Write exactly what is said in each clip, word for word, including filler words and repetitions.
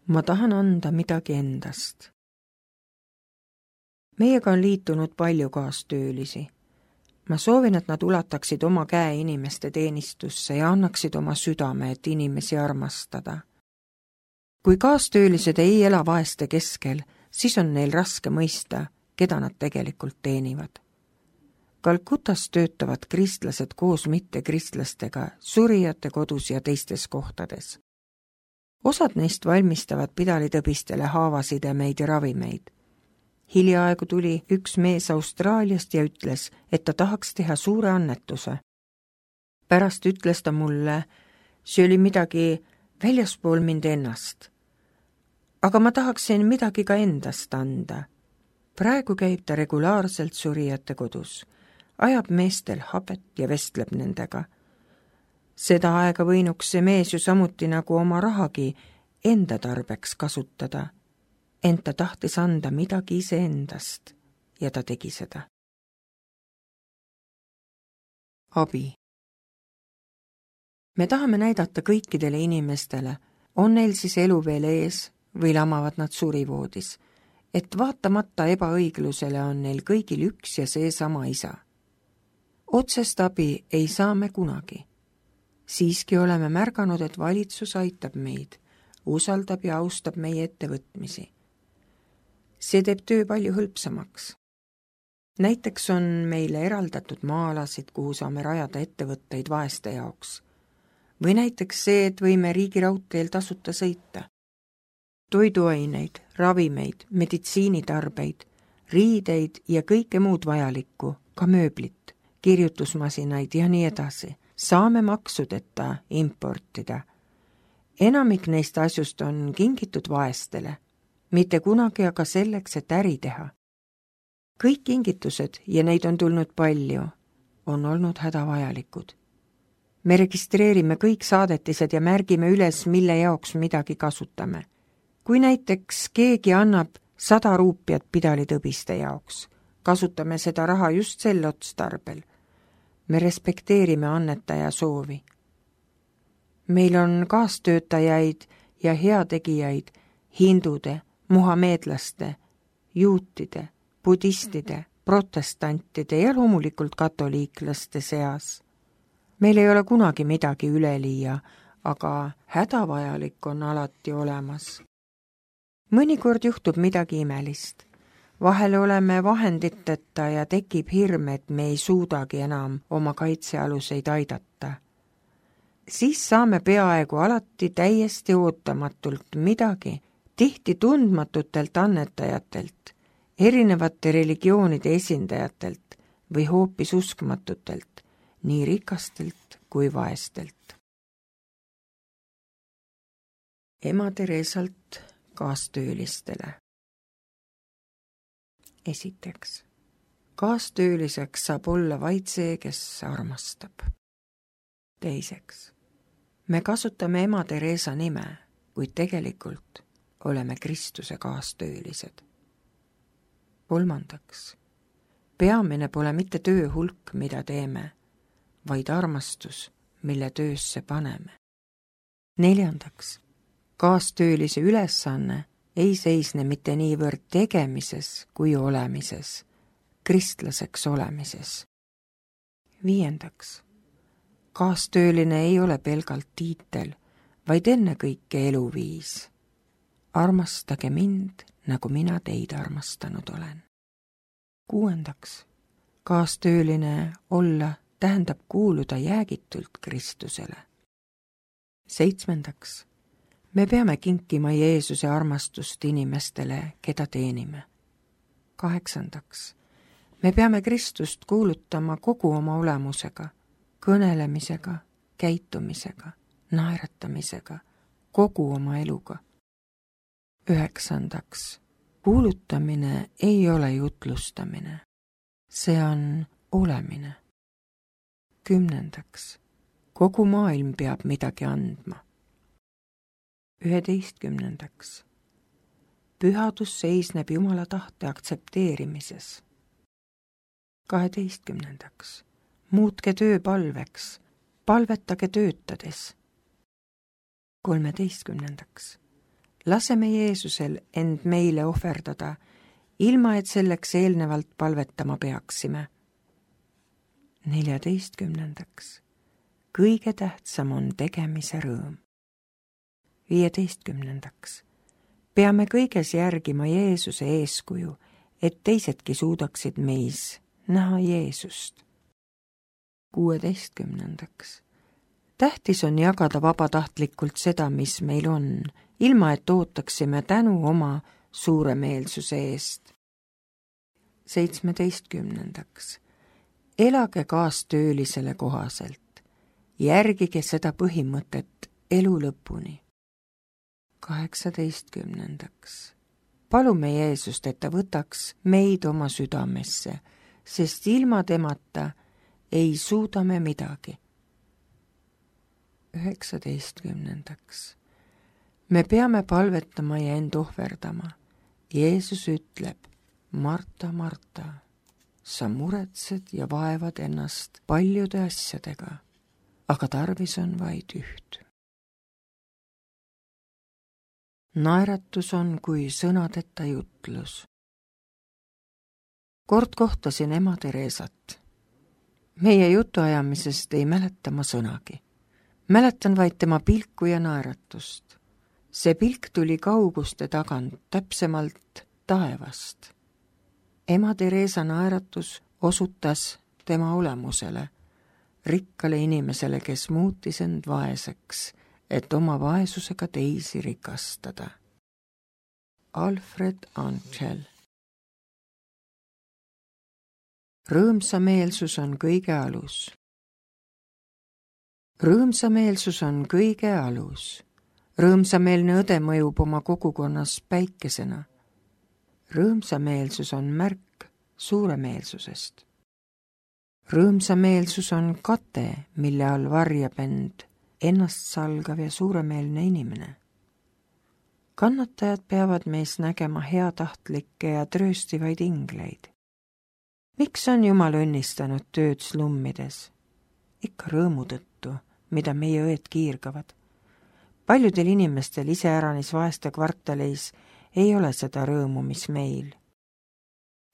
Ma tahan anda midagi endast. Meiega on liitunud palju kaastöölisi. Ma soovin, et nad ulataksid oma käe inimeste teenistusse ja annaksid oma südame, et inimesi armastada. Kui kaastöölised ei ela vaeste keskel, siis on neil raske mõista, keda nad tegelikult teenivad. Kalkutas töötavad kristlased koos mittekristlastega surijate kodus ja teistes kohtades. Osad neist valmistavad pidalitõbistele haavasidemeid ja ravimeid. Hiljaaegu tuli üks mees Austraaliast ja ütles, et ta tahaks teha suure annetuse. Pärast ütles ta mulle, see oli midagi väljaspool mind ennast. Aga ma tahaksin midagi ka endast anda. Praegu käib ta regulaarselt surijate kodus, ajab meestel habet ja vestleb nendega. Seda aega võinuks see mees ju samuti nagu oma rahagi enda tarbeks kasutada. Ent ta tahtis anda midagi iseendast ja ta tegi seda. Abi. Me tahame näidata kõikidele inimestele, on neil siis elu veel ees või lamavad nad surivoodis, et vaatamata ebaõiglusele on neil kõigil üks ja seesama isa. Otsest abi ei saa me kunagi. Siiski oleme märganud, et valitsus aitab meid, usaldab ja austab meie ettevõtmisi. See teeb töö palju hõlpsamaks. Näiteks on meile eraldatud maalasid, kuhu saame rajada ettevõtteid vaeste jaoks. Või näiteks see, et võime riigiraudteel tasuta sõita. Toiduaineid, ravimeid, meditsiinitarbeid, riideid ja kõike muud vajalikku, ka mööblit, kirjutusmasinaid ja nii edasi, saame maksudeta importida. Enamik neist asjust on kingitud vaestele. Mitte kunagi aga selleks, et äri teha. Kõik kingitused, ja neid on tulnud palju, on olnud hädavajalikud. Me registreerime kõik saadetised ja märgime üles, mille jaoks midagi kasutame. Kui näiteks keegi annab sada ruupiat pidalitõbiste jaoks, kasutame seda raha just sel otstarbel. Me respekteerime annetaja soovi. Meil on kaastöötajaid ja heategijaid, hindude, muhameedlaste, juutide, budistide, protestantide ja loomulikult katoliiklaste seas. Meil ei ole kunagi midagi üleliia, aga hädavajalik on alati olemas. Mõnikord juhtub midagi imelist. Vahel oleme vahenditeta ja tekib hirm, et me ei suudagi enam oma kaitsealuseid aidata. Siis saame peaaegu alati täiesti ootamatult midagi, tihti tundmatutelt annetajatelt, erinevate religioonide esindajatelt või hoopis uskmatutelt, nii rikastelt kui vaestelt. Ema Teresalt kaastöölistele. Esiteks, kaastööliseks saab olla vaid see, kes armastab. Teiseks, me kasutame ema Teresa nime, kuid tegelikult oleme Kristuse kaastöölised. Kolmandaks, peamine pole mitte töö hulk, mida teeme, vaid armastus, mille töösse paneme. Neljandaks, kaastöölise ülesanne ei seisne mitte niivõrd tegemises kui olemises, kristlaseks olemises. Viiendaks, kaastööline ei ole pelgalt tiitel, vaid ennekõike eluviis. Armastage mind, nagu mina teid armastanud olen. Kuuendaks, kaastööline olla tähendab kuuluda jäägitult Kristusele. Seitsmendaks, me peame kinkima Jeesuse armastust inimestele, keda teenime. Kaheksandaks, me peame Kristust kuulutama kogu oma olemusega, kõnelemisega, käitumisega, naeratamisega, kogu oma eluga. Üheksandaks, kuulutamine ei ole jutlustamine, see on olemine. Kümnendaks, kogu maailm peab midagi andma. Üheteistkümnendaks, pühadus seisneb Jumala tahte aktsepteerimises. Kaheteistkümnendaks, muutke töö palveks, palvetage töötades. Kolmeteistkümnendaks, laseme Jeesusel end meile ohverdada, ilma et selleks eelnevalt palvetama peaksime. neljateistkümnendaks. Kõige tähtsam on tegemise rõõm. viieteistkümnendaks. Peame kõiges järgima Jeesuse eeskuju, et teisedki suudaksid meis näha Jeesust. kuueteistkümnendaks. Tähtis on jagada vabatahtlikult seda, mis meil on, ilma et ootaksime tänu oma suuremeelsuse eest. seitsmeteistkümnendaks. Elage kaastöölisele kohaselt. Järgige seda põhimõtet elu lõpuni. kaheksateistkümnendaks. Palume Jeesust, et ta võtaks meid oma südamesse, sest ilma temata ei suuda me midagi. üheksateistkümnendaks. Me peame palvetama ja end ohverdama. Jeesus ütleb, Marta, Marta, sa muretsed ja vaevad ennast paljude asjadega, aga tarvis on vaid üht. Naeratus on kui sõnadeta jutlus. Kord kohtasin ema Teresat. Meie jutuajamisest ei mäleta ma sõnagi. Mäletan vaid tema pilku ja naeratust. See pilk tuli kauguste tagant, täpsemalt taevast. Ema Teresa naeratus osutas tema olemusele, rikkale inimesele, kes muutis end vaeseks, et oma vaesusega teisi rikastada. Alfred Angel. Rõõmsameelsus on kõige alus. Rõõmsameelsus on kõige alus. Rõõmsameelne õde mõjub oma kogukonnas päikesena. Rõõmsameelsus on märk suuremeelsusest. Rõõmsameelsus on kate, mille all varjab end ennast salgav ja suuremeelne inimene. Kannatajad peavad meis nägema heatahtlikke ja trööstivaid ingleid. Miks on Jumal õnnistanud tööd slummides? Ikka rõõmu tõttu, mida meie õed kiirgavad. Paljudel inimestel iseäranis vaeste kvartaleis ei ole seda rõõmu, mis meil.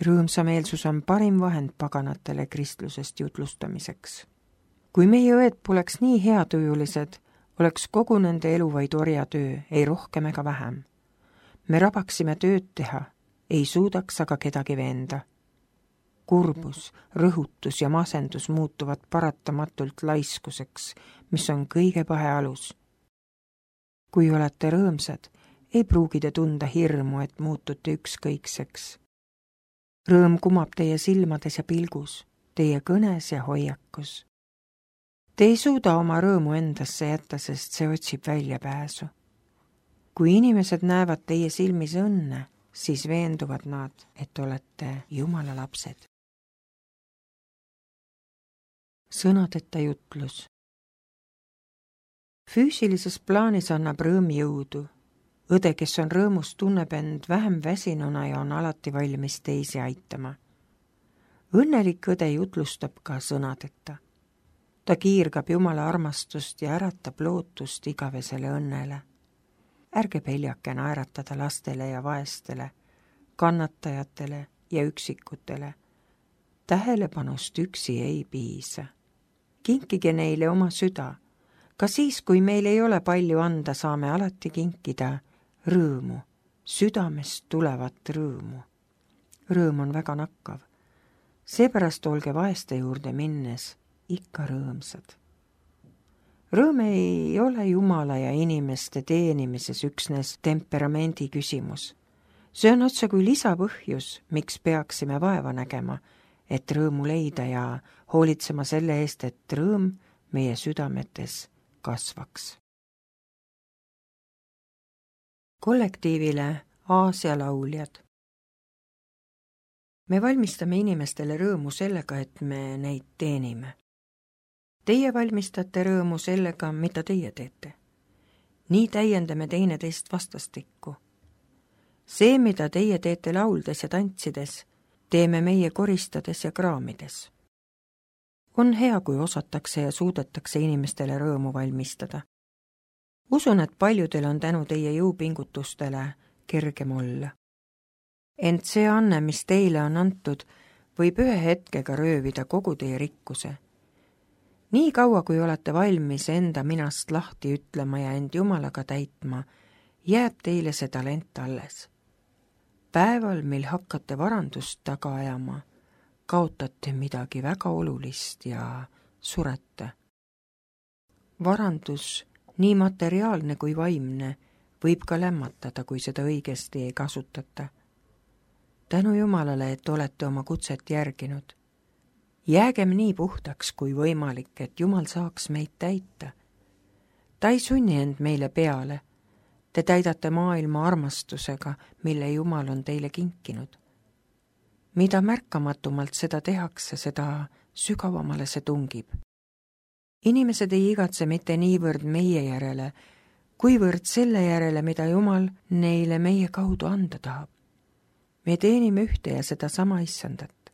Rõõmsameelsus on parim vahend paganatele kristlusest jutlustamiseks. Kui meie õed poleks nii heatujulised, oleks kogu nende elu vaid orjatöö, ei rohkem ega vähem. Me rabaksime tööd teha, ei suudaks aga kedagi veenda. Kurbus, rõhutus ja masendus muutuvad paratamatult laiskuseks, mis on kõige pahe alus. Kui olete rõõmsad, ei pruugi te tunda hirmu, et muutute ükskõikseks. Rõõm kumab teie silmades ja pilgus, teie kõnes ja hoiakus. Te ei suuda oma rõõmu endasse jätta, sest see otsib väljapääsu. Kui inimesed näevad teie silmis õnne, siis veenduvad nad, et olete Jumala lapsed. Sõnadeta jutlus. Füüsilises plaanis annab rõõm jõudu. Õde, kes on rõõmus, tunneb end vähem väsinuna ja on alati valmis teisi aitama. Õnnelik õde jutlustab ka sõnadeta. Ta kiirgab Jumala armastust ja äratab lootust igavesele õnnele. Ärge peljake naeratada lastele ja vaestele, kannatajatele ja üksikutele. Tähelepanust üksi ei piisa. Kinkige neile oma süda. Ka siis, kui meil ei ole palju anda, saame alati kinkida rõõmu, südamest tulevat rõõmu. Rõõm on väga nakkav. Seepärast olge vaeste juurde minnes ikka rõõmsad. Rõõm ei ole Jumala ja inimeste teenimises üksnes temperamendi küsimus. See on otse kui lisapõhjus, miks peaksime vaeva nägema, et rõõmu leida ja hoolitsema selle eest, et rõõm meie südametes kasvaks. Kollektiivile Aasia lauljad. Me valmistame inimestele rõõmu sellega, et me neid teenime. Teie valmistate rõõmu sellega, mida teie teete. Nii täiendame teineteist vastastikku. See, mida teie teete lauldes ja tantsides, teeme meie koristades ja kraamides. On hea, kui osatakse ja suudetakse inimestele rõõmu valmistada. Usun, et paljudel on tänu teie jõupingutustele kergem olla. Ent see anne, mis teile on antud, võib ühe hetkega röövida kogu teie rikkuse. Nii kaua, kui olete valmis enda minast lahti ütlema ja end Jumalaga täitma, jääb teile see talent alles. Päeval, mil hakkate varandust taga ajama, kaotate midagi väga olulist ja surete. Varandus, nii materiaalne kui vaimne, võib ka lämmatada, kui seda õigesti ei kasutata. Tänu Jumalale, et olete oma kutset järginud. Jäägem nii puhtaks kui võimalik, et Jumal saaks meid täita. Ta ei sunni end meile peale. Te täidate maailma armastusega, mille Jumal on teile kinkinud. Mida märkamatumalt seda tehakse, seda sügavamale see tungib. Inimesed ei igatse mitte niivõrd meie järele, kuivõrd selle järele, mida Jumal neile meie kaudu anda tahab. Me teenime ühte ja seda sama issandat.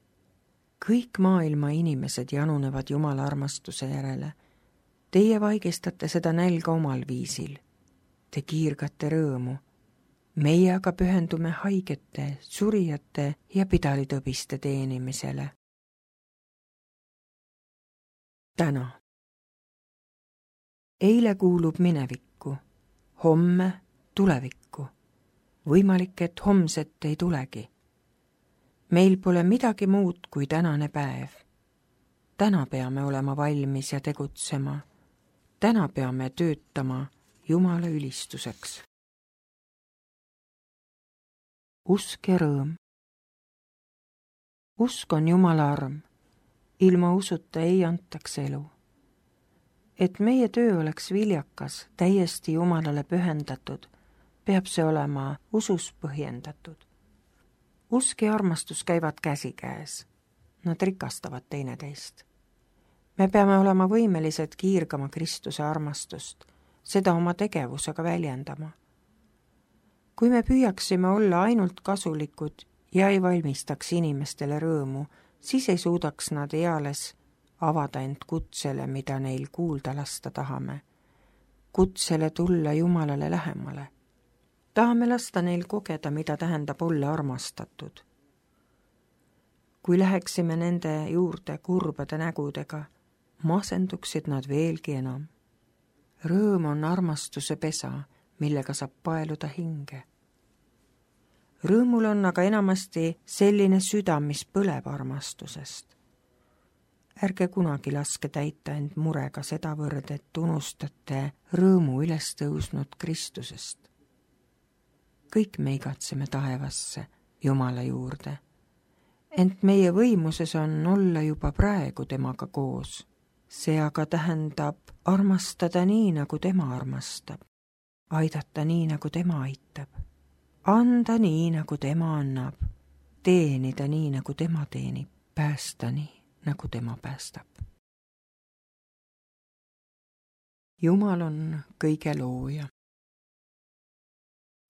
Kõik maailma inimesed janunevad Jumala armastuse järele. Teie vaigistate seda nälga omal viisil. Te kiirgate rõõmu. Meie aga pühendume haigete, surijate ja pidalitõbiste teenimisele. Täna. Eile kuulub minevikku, homme tulevikku. Võimalik, et homset ei tulegi. Meil pole midagi muud kui tänane päev. Täna peame olema valmis ja tegutsema. Täna peame töötama Jumala ülistuseks. Usk ja rõõm. Usk on Jumala arm. Ilma usuta ei antaks elu. Et meie töö oleks viljakas, täiesti Jumalale pühendatud, peab see olema usus põhjendatud. Usk ja armastus käivad käsikäes. Nad rikastavad teineteist. Me peame olema võimelised kiirgama Kristuse armastust, seda oma tegevusega väljendama. Kui me püüaksime olla ainult kasulikud ja ei valmistaks inimestele rõõmu, siis ei suudaks nad eales avada end kutsele, mida neil kuulda lasta tahame. Kutsele tulla Jumalale lähemale. Tahame lasta neil kogeda, mida tähendab olla armastatud. Kui läheksime nende juurde kurbade nägudega, masenduksid nad veelgi enam. Rõõm on armastuse pesa, millega saab paeluda hinge. Rõõmul on aga enamasti selline süda, mis põleb armastusest. Ärge kunagi laske täita end murega sedavõrd, et unustate rõõmu üles tõusnud Kristusest. Kõik me igatseme taevasse, Jumala juurde. Ent meie võimuses on olla juba praegu temaga koos. See aga tähendab armastada nii, nagu tema armastab. Aidata nii, nagu tema aitab. Anda nii, nagu tema annab. Teenida nii, nagu tema teenib. Päästa nii, nagu tema päästab. Jumal on kõige looja.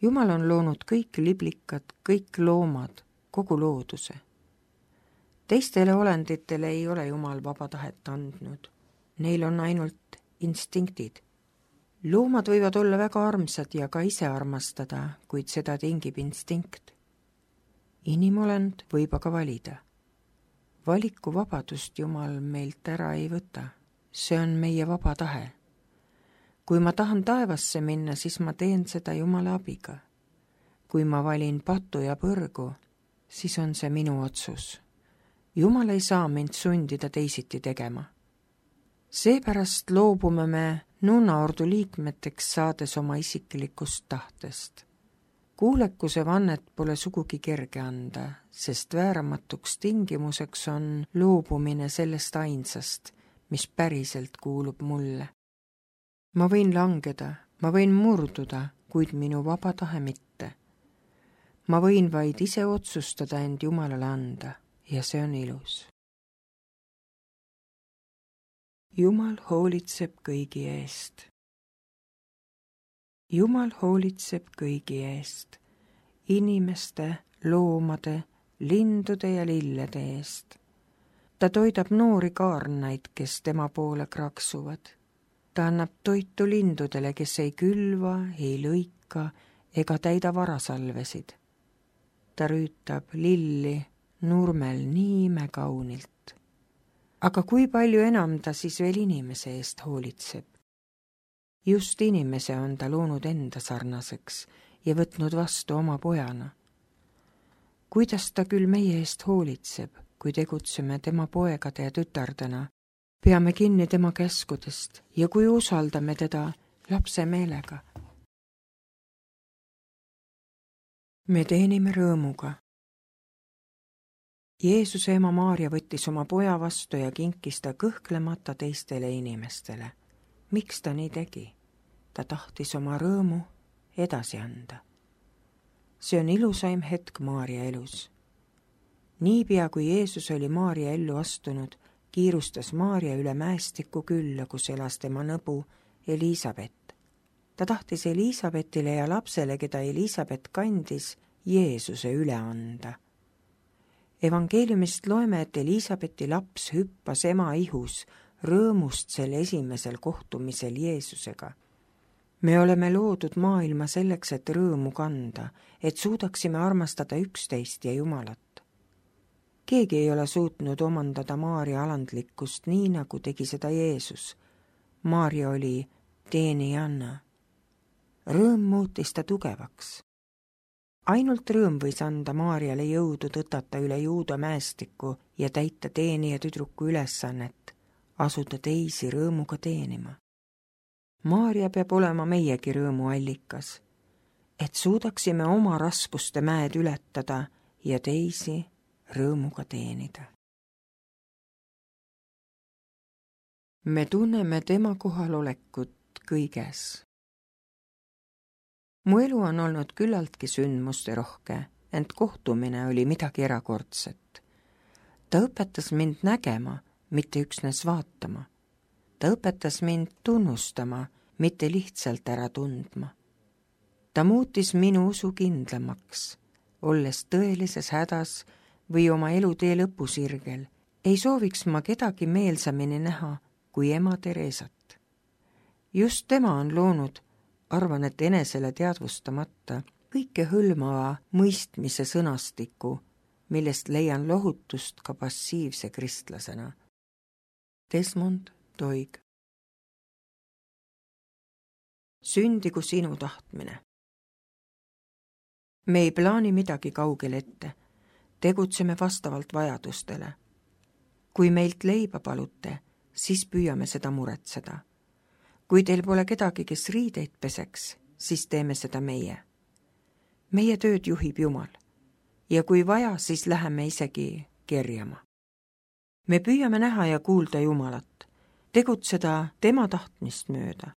Jumal on loonud kõik liblikad, kõik loomad, kogu looduse. Teistele olenditele ei ole Jumal vaba tahet andnud. Neil on ainult instinktid. Loomad võivad olla väga armsad ja ka ise armastada, kuid seda tingib instinkt. Inimolend võib aga valida. Valikuvabadust Jumal meilt ära ei võta. See on meie vaba tahe. Kui ma tahan taevasse minna, siis ma teen seda Jumala abiga. Kui ma valin patu ja põrgu, siis on see minu otsus. Jumal ei saa mind sundida teisiti tegema. Seepärast loobume me nunnaordu liikmeteks saades oma isiklikust tahtest. Kuulekuse vannet pole sugugi kerge anda, sest vääramatuks tingimuseks on loobumine sellest ainsast, mis päriselt kuulub mulle. Ma võin langeda, ma võin murduda, kuid minu vaba tahe mitte. Ma võin vaid ise otsustada end Jumalale anda ja see on ilus. Jumal hoolitseb kõigi eest. Jumal hoolitseb kõigi eest, inimeste, loomade, lindude ja lillede eest. Ta toidab noori kaarnaid, kes tema poole kraksuvad. ta annab toitu lindudele, kes ei külva, ei lõika ega täida varasalvesid. ta rüütab lilli nurmel nii imekaunilt. aga kui palju enam ta siis veel inimese eest hoolitseb? Just inimese on ta loonud enda sarnaseks ja võtnud vastu oma pojana. Kuidas ta küll meie eest hoolitseb, kui tegutseme tema poegade ja tütardena, peame kinni tema käskudest ja kui usaldame teda lapse meelega. Me teenime rõõmuga. Jeesuse ema Maarja võttis oma poja vastu ja kinkis ta kõhklemata teistele inimestele. Miks ta nii tegi? Ta tahtis oma rõõmu edasi anda. See on ilusaim hetk Maarja elus. Niipea kui Jeesus oli Maarja ellu astunud, kiirustas Maarja üle mäestiku külla, kus elas tema nõbu Elisabet. Ta tahtis Elisabetile ja lapsele, keda Elisabet kandis, Jeesuse üle anda. Evangeeliumist loeme, et Elisabeti laps hüppas ema ihus rõõmust sel esimesel kohtumisel Jeesusega. Me oleme loodud maailma selleks, et rõõmu kanda, et suudaksime armastada üksteist ja Jumalat. Keegi ei ole suutnud omandada Maarja alandlikkust nii, nagu tegi seda Jeesus. Maarja oli teenijanna. Rõõm muutis ta tugevaks. Ainult rõõm võis anda Maarjale jõudu tõtata üle Juuda mäestiku ja täita teenija tüdruku ülesannet, asuda teisi rõõmuga teenima. Maarja peab olema meiegi rõõmu allikas, et suudaksime oma raskuste mäed ületada ja teisi rõõmuga teenida. Me tunneme tema kohalolekut kõiges. Mu elu on olnud küllaltki sündmuste rohke, ent kohtumine oli midagi erakordset. Ta õpetas mind nägema, mitte üksnes vaatama. Ta õpetas mind tunnustama, mitte lihtsalt ära tundma. Ta muutis minu usu kindlamaks, olles tõelises hädas või oma elutee lõpusirgel. Ei sooviks ma kedagi meelsamini näha kui ema Teresat. Just tema on loonud, arvan, et enesele teadvustamata, kõike hõlmava mõistmise sõnastiku, millest leian lohutust ka passiivse kristlasena. Desmond Doig. Sündigu sinu tahtmine. Me ei plaani midagi kaugel ette, tegutseme vastavalt vajadustele. Kui meilt leiba palute, siis püüame seda muretseda. Kui teil pole kedagi, kes riideid peseks, siis teeme seda meie. Meie tööd juhib Jumal ja kui vaja, siis läheme isegi kerjama. Me püüame näha ja kuulda Jumalat, tegutseda tema tahtmist mööda.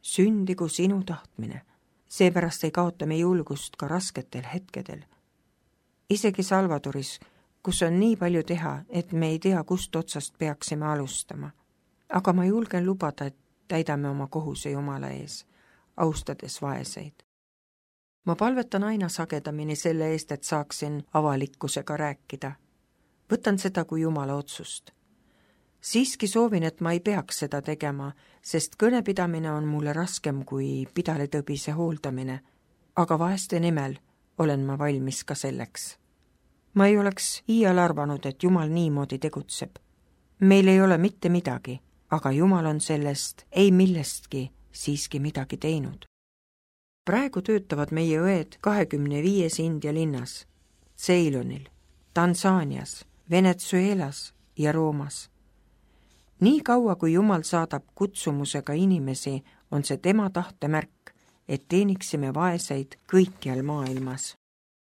Sündigu sinu tahtmine, seepärast ei kaota me julgust ka rasketel hetkedel. Isegi Salvadoris, kus on nii palju teha, et me ei tea, kust otsast peaksime alustama. Aga ma julgen lubada, et täidame oma kohuse Jumala ees, austades vaeseid. Ma palvetan aina sagedamini selle eest, et saaksin avalikkusega rääkida. Võtan seda kui Jumala otsust. Siiski soovin, et ma ei peaks seda tegema, sest kõnepidamine on mulle raskem kui pidaletõbise hooldamine, aga vaeste nimel olen ma valmis ka selleks. Ma ei oleks iial arvanud, et Jumal niimoodi tegutseb. Meil ei ole mitte midagi, aga Jumal on sellest ei millestki siiski midagi teinud. Praegu töötavad meie õed kahekümne viies India linnas, Ceylonil, Tansaanias, Venezuelas ja Roomas. Nii kaua, kui Jumal saadab kutsumusega inimesi, on see tema tahtemärk, et teeniksime vaeseid kõikjal maailmas.